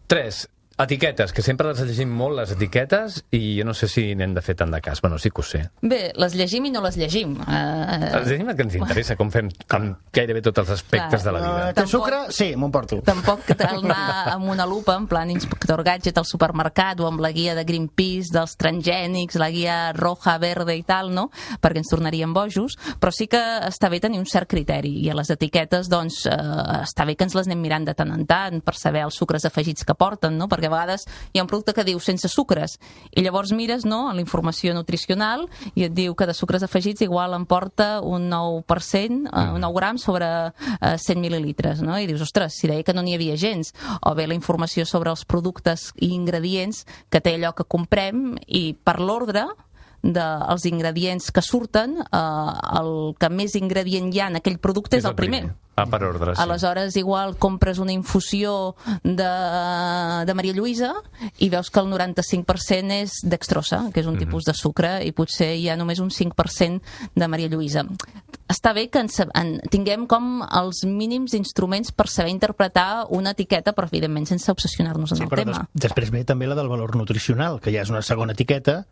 3. Etiquetes, que sempre les llegim molt, les etiquetes, i jo no sé si n'hem de fer tant de cas. Bueno, sí que ho sé. Bé, les llegim i no les llegim. Les llegim el que ens interessa, com fem amb gairebé tots els aspectes de la vida. Té sucre? Sí, m'ho emporto. Tampoc cal anar amb una lupa, en plan inspector gadget al supermercat o amb la guia de Greenpeace, dels transgènics, la guia roja, verde i tal, no? Perquè ens tornaríem bojos, però sí que està bé tenir un cert criteri, i a les etiquetes, doncs, està bé que ens les anem mirant de tant en tant per saber els sucres afegits que porten, no? Perquè a vegades hi ha un producte que diu sense sucres i llavors mires la informació nutricional i et diu que de sucres afegits igual em porta un 9%, 9 grams sobre 100 mil·lilitres, no? I dius, ostres, si deia que no n'hi havia gens. O bé la informació sobre els productes i ingredients que té allò que comprem i per l'ordre dels ingredients que surten, el que més ingredient hi ha en aquell producte és el primer. Per ordre, sí. Aleshores, igual compres una infusió de Maria Lluïsa i veus que el 95% és dextrosa, que és un tipus de sucre, i potser hi ha només un 5% de Maria Lluïsa. Està bé que tinguem com els mínims instruments per saber interpretar una etiqueta, però evidentment sense obsessionar-nos en el tema. Després ve també la del valor nutricional, que ja és una segona etiqueta.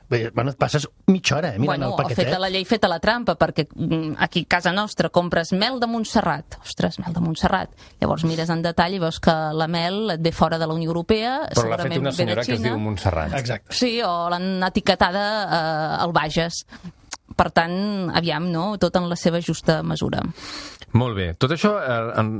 Bueno, et passes mitja hora mirant el paquetet. Feta la llei, feta la trampa, perquè aquí a casa nostra compres mel de Montserrat. Ostres, mel de Montserrat. Llavors mires en detall i veus que la mel et ve fora de la Unió Europea. Però l'ha fet una senyora que es diu Montserrat. Exacte. Sí, o l'han etiquetada al Bages. Per tant, aviam, no? Tot en la seva justa mesura. Molt bé. Tot això,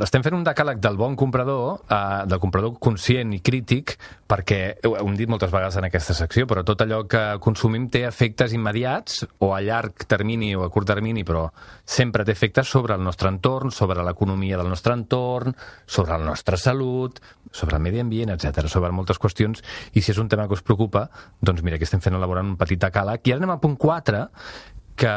estem fent un decàleg del bon comprador, del comprador conscient i crític, perquè, ho hem dit moltes vegades en aquesta secció, però tot allò que consumim té efectes immediats, o a llarg termini o a curt termini, però sempre té efectes sobre el nostre entorn, sobre l'economia del nostre entorn, sobre la nostra salut, sobre el medi ambient, etc., sobre moltes qüestions, i si és un tema que us preocupa, doncs mira, que estem fent elaborant un petit decàleg. I ara anem al punt 4, que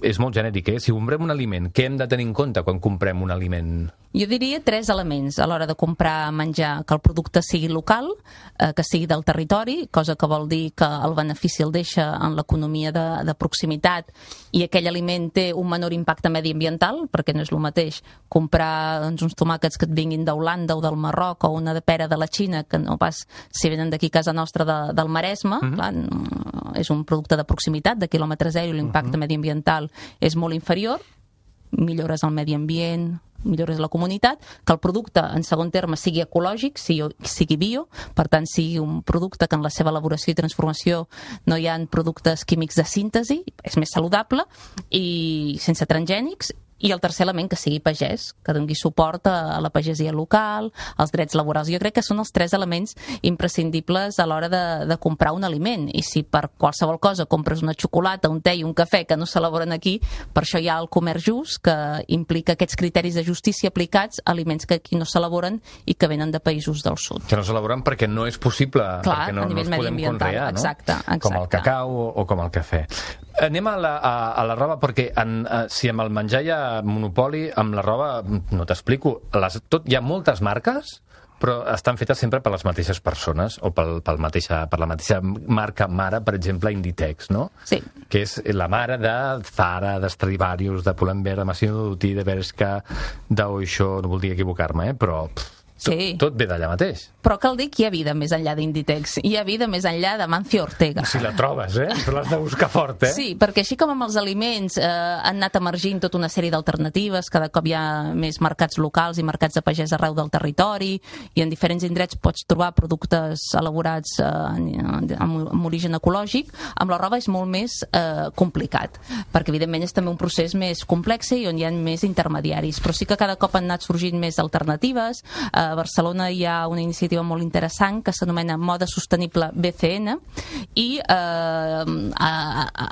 és molt genèric, Si comprem un aliment, què hem de tenir en compte quan comprem un aliment? Jo diria 3 elements a l'hora de comprar menjar: que el producte sigui local, que sigui del territori, cosa que vol dir que el benefici el deixa en l'economia de proximitat, i aquell aliment té un menor impacte mediambiental, perquè no és el mateix comprar uns tomàquets que et vinguin d'Holanda o del Marroc, o una de pera de la Xina, que no pas si venen d'aquí a casa nostra del Maresme. Clar, és un producte de proximitat, de quilòmetre zero, i l'impacte mediambiental és molt inferior. Millores el medi ambient, millores la comunitat, que el producte, en segon terme, sigui ecològic, sigui bio, per tant, sigui un producte que en la seva elaboració i transformació no hi ha productes químics de síntesi, és més saludable, i sense transgènics. I el tercer element, que sigui pagès, que doni suport a la pagesia local, als drets laborals. Jo crec que són els 3 elements imprescindibles a l'hora de comprar un aliment. I si per qualsevol cosa compres una xocolata, un te i un cafè que no s'elaboren aquí, per això hi ha el comerç just, que implica aquests criteris de justícia aplicats a aliments que aquí no s'elaboren i que venen de països del sud. Que no s'elaboren perquè no és possible, clar, perquè no els podem conrear, no? Exacte. Com el cacau o com el cafè. Anem a la roba, perquè si amb el menjar hi ha monopoli, amb la roba no t'explico. Hi ha moltes marques, però estan fetes sempre per les mateixes persones, o per la mateixa marca mare, per exemple, Inditex, no? Sí. Que és la mare de Zara, de Stradivarius, de Pull&Bear, de Massimo Dutti, de Bershka, d'Oysho, no voldria equivocar-me, però Sí. Tot ve d'allà mateix. Però cal dir que hi ha vida més enllà d'Inditex. Hi ha vida més enllà de Mancio Ortega. Si la trobes, però l'has de buscar fort, Sí, perquè així com amb els aliments han anat emergint tota una sèrie d'alternatives, cada cop hi ha més mercats locals i mercats de pagès arreu del territori, i en diferents indrets pots trobar productes elaborats amb origen ecològic. Amb la roba és molt més complicat, perquè evidentment és també un procés més complex i on hi ha més intermediaris, però sí que cada cop han anat sorgint més alternatives. A Barcelona hi ha una iniciativa molt interessant que s'anomena Moda Sostenible BCN i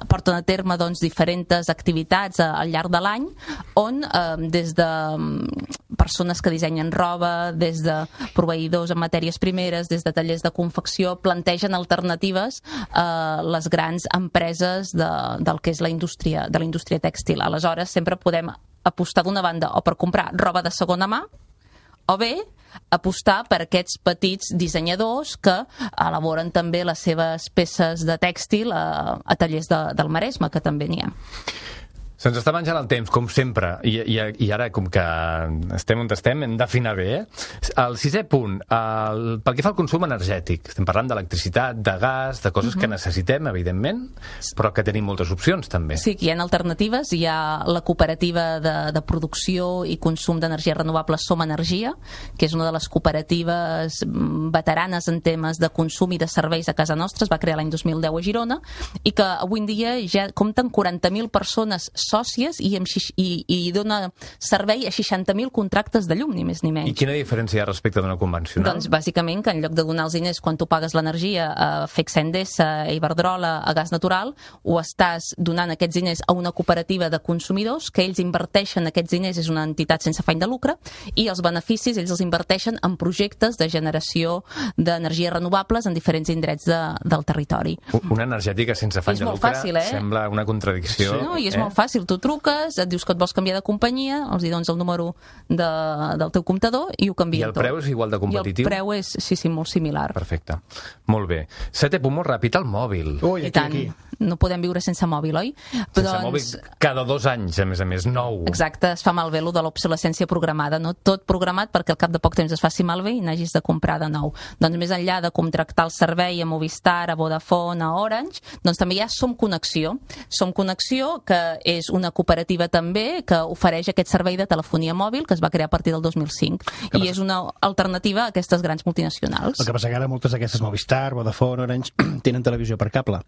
porten a terme diferents activitats al llarg de l'any on des de persones que dissenyen roba, des de proveïdors en matèries primeres, des de tallers de confecció, plantegen alternatives a les grans empreses del que és la indústria tèxtil. Aleshores, sempre podem apostar d'una banda o per comprar roba de segona mà o bé apostar per aquests petits dissenyadors que elaboren també les seves peces de tèxtil a tallers del Maresme, que també n'hi ha. Se'ns està menjant el temps, com sempre, i ara, com que estem on estem, hem d'afinar bé. El sisè punt, pel que fa al consum energètic, estem parlant d'electricitat, de gas, de coses que necessitem, evidentment, però que tenim moltes opcions, també. Sí, que hi ha alternatives. Hi ha la cooperativa de producció i consum d'energia renovable Som Energia, que és una de les cooperatives veteranes en temes de consum i de serveis a casa nostra. Es va crear l'any 2010 a Girona, i que avui en dia ja compten 40.000 persones sòcies i dona servei a 60.000 contractes de llum, ni més ni menys. I quina diferència hi ha respecte d'una convencional? Doncs bàsicament que en lloc de donar els diners quan tu pagues l'energia a FECSA Endesa, a Iberdrola, a Gas Natural, ho estàs donant aquests diners a una cooperativa de consumidors que ells inverteixen aquests diners, és una entitat sense afany de lucre, i els beneficis ells els inverteixen en projectes de generació d'energies renovables en diferents indrets del territori. Una energètica sense afany de lucre fàcil, sembla una contradicció. Sí, no, i és molt fàcil. Tu truques, et dius que et vols canviar de companyia, els dones el número del teu comptador i ho canvia tot. I el preu és igual de competitiu? I el preu és, sí, molt similar. Perfecte. Molt bé. Setè punt, molt ràpid, el mòbil. Ui, I tant. No podem viure sense mòbil, oi? Sense mòbil cada 2 anys, a més, nou. Exacte, es fa malbé lo de l'obsolescència programada, no? Tot programat perquè al cap de poc temps es faci malbé i n'hagis de comprar de nou. Doncs més enllà de contractar el servei a Movistar, a Vodafone, a Orange, doncs també hi ha Som Connexió. Som Connexió, que és una cooperativa també que ofereix aquest servei de telefonia mòbil que es va crear a partir del 2005 i és una alternativa a aquestes grans multinacionals. El que passa que ara moltes d'aquestes Movistar, Vodafone, Orange tenen televisió per cable.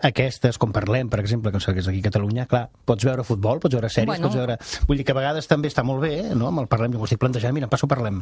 Aquestes, com parlem, per exemple, que és aquí a Catalunya, clar, pots veure futbol, pots veure sèries, pots veure... Vull dir que a vegades també està molt bé, no?, amb el Parlem, jo m'ho estic plantejant, mira, em passo Parlem.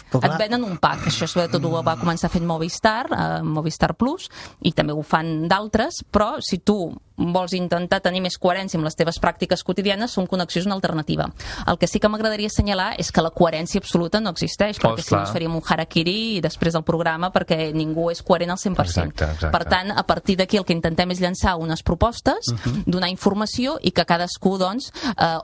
Et venen un pack, això sobretot ho va començar fent Movistar, Movistar Plus, i també ho fan d'altres, però si tu vols intentar tenir més coherència amb les teves pràctiques quotidianes, Som Connexió és una alternativa. El que sí que m'agradaria assenyalar és que la coherència absoluta no existeix, perquè si no ens faríem un harakiri i després del programa, perquè ningú és coherent al 100%. Exacte. Per tant, a partir d'aquí el que intentem és llançar unes propostes, donar informació i que cadascú, doncs,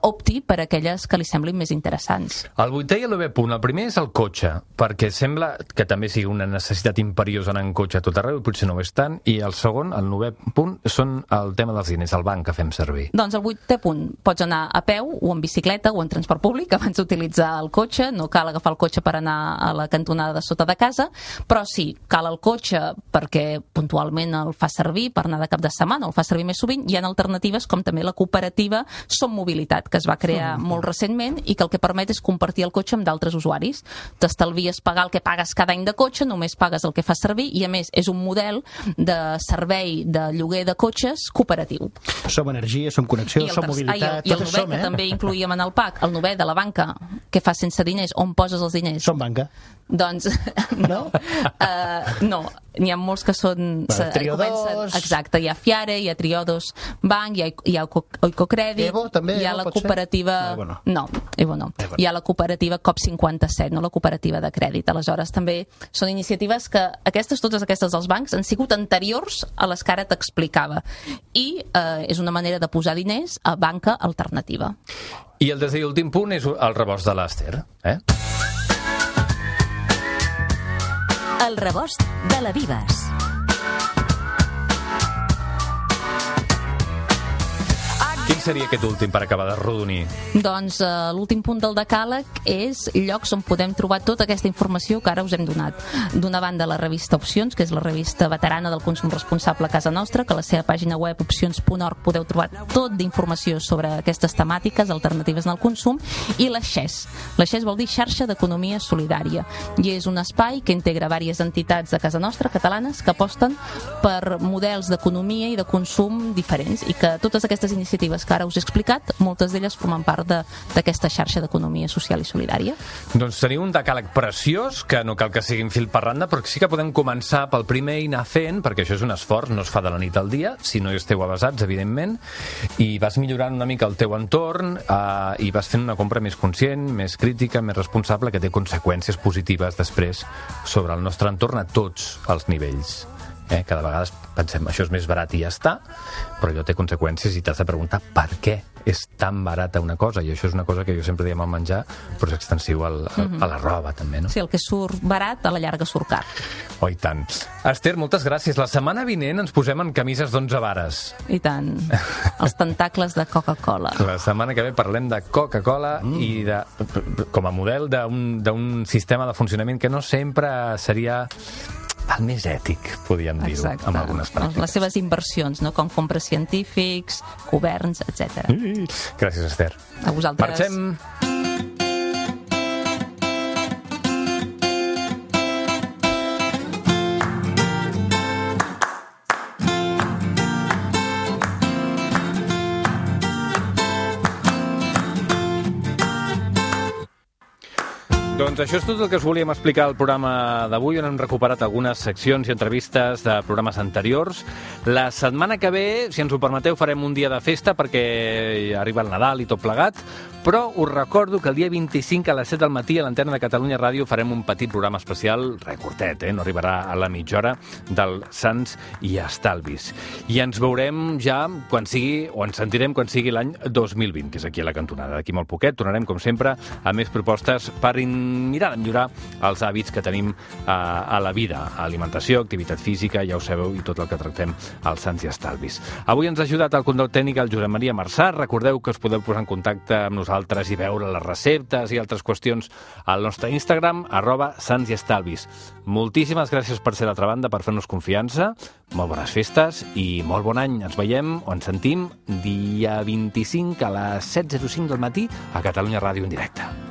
opti per aquelles que li semblin més interessants. El 8è i el 9è punt. El primer és el cotxe, perquè sembla que també sigui una necessitat imperiosa anar en cotxe a tot arreu, i potser no ho és tant, i el segon, el 9è punt, són el tema dels diners, el banc que fem servir. Doncs el 8è punt, pots anar a peu o en bicicleta o en transport públic abans d'utilitzar el cotxe, no cal agafar el cotxe per anar a la cantonada de sota de casa, però sí, cal el cotxe perquè puntualment el fa servir per anar de cap de setmana o el fa servir més sovint. Hi ha alternatives com també la cooperativa Som Mobilitat, que es va crear molt recentment i que el que permet és compartir el cotxe amb d'altres usuaris. T'estalvies pagar el que pagues cada any de cotxe, només pagues el que fas servir i a més és un model de servei de lloguer de cotxes cooperatiu. Som Energia, Som Connexió, Som Mobilitat... I el 9è, que també incluïem en el PAC, el 9è de la banca, que fas sense diners, on poses els diners? Som Banca. Doncs no. No, n'hi ha molts que són... Triodos... Exacte, hi ha Fiare, hi ha Triodos Bank, hi ha Oicocrèdit... Evo, també? Hi ha la cooperativa... No, Evo no. Hi ha la cooperativa COP57, no la cooperativa de crèdit. Aleshores, també són iniciatives que totes aquestes dels bancs han sigut anteriors a les que ara t'explicava. I és una manera de posar diners a banca alternativa. I el desè i últim punt és el rebost de l'Ester, El rebost de la Vives. Quins seria aquest últim per acabar de rodonir? Doncs l'últim punt del decàleg és llocs on podem trobar tota aquesta informació que ara us hem donat. D'una banda, la revista Opcions, que és la revista veterana del consum responsable a casa nostra, que a la seva pàgina web opcions.org podeu trobar tot d'informació sobre aquestes temàtiques alternatives en el consum, i la XES. La XES vol dir Xarxa d'Economia Solidària, i és un espai que integra diverses entitats de casa nostra, catalanes, que aposten per models d'economia i de consum diferents, i que totes aquestes iniciatives que ara us he explicat, moltes d'elles formen part d'aquesta xarxa d'economia social i solidària. Doncs teniu un decàleg preciós, que no cal que siguin fil per randa, però sí que podem començar pel primer i anar fent, perquè això és un esforç, no es fa de la nit al dia, si no hi esteu avasats, evidentment, i vas millorant una mica el teu entorn i vas fent una compra més conscient, més crítica, més responsable, que té conseqüències positives després sobre el nostre entorn a tots els nivells. Cada vegada pensem, això és més barat i ja està, però allò té conseqüències i t'has de preguntar per què és tan barata una cosa, i això és una cosa que jo sempre diem al menjar, però és extensiu a la roba també, no? Sí, el que surt barat a la llarga surt car. Oh, i tant. Esther, moltes gràcies. La setmana vinent ens posem en camises d'11 vares. I tant. Els tentacles de Coca-Cola. La setmana que ve parlem de Coca-Cola i com a model d'un sistema de funcionament que no sempre seria el més ètic, podríem dir-ho, amb algunes pràctiques. Les seves inversions, no? Com compres científics, governs, etc. Gràcies, Esther. A vosaltres. Marxem. Doncs això és tot el que us volíem explicar al programa d'avui, on hem recuperat algunes seccions i entrevistes de programes anteriors. La setmana que ve, si ens ho permeteu, farem un dia de festa perquè arriba el Nadal i tot plegat, però us recordo que el dia 25 a les 7 del matí a l'antena de Catalunya Ràdio farem un petit programa especial, curtet, no arribarà a la mitja hora, del Sants i Estalvis. I ens veurem ja quan sigui, o ens sentirem quan sigui l'any 2020, que és aquí a la cantonada. D'aquí molt poquet tornarem, com sempre, a més propostes per mirar de millorar els hàbits que tenim a la vida, alimentació, activitat física, ja ho sabeu, i tot el que tractem als Sants i Estalvis. Avui ens ha ajudat el control tècnic el Josep Maria Marçà. Recordeu que us podeu posar en contacte amb nosaltres i veure les receptes i altres qüestions al nostre Instagram, @santsiestalvis. Moltíssimes gràcies per ser a l'altra banda, per fer-nos confiança, molt bones festes i molt bon any. Ens veiem o ens sentim dia 25 a les 7:05 del matí a Catalunya Ràdio en directe.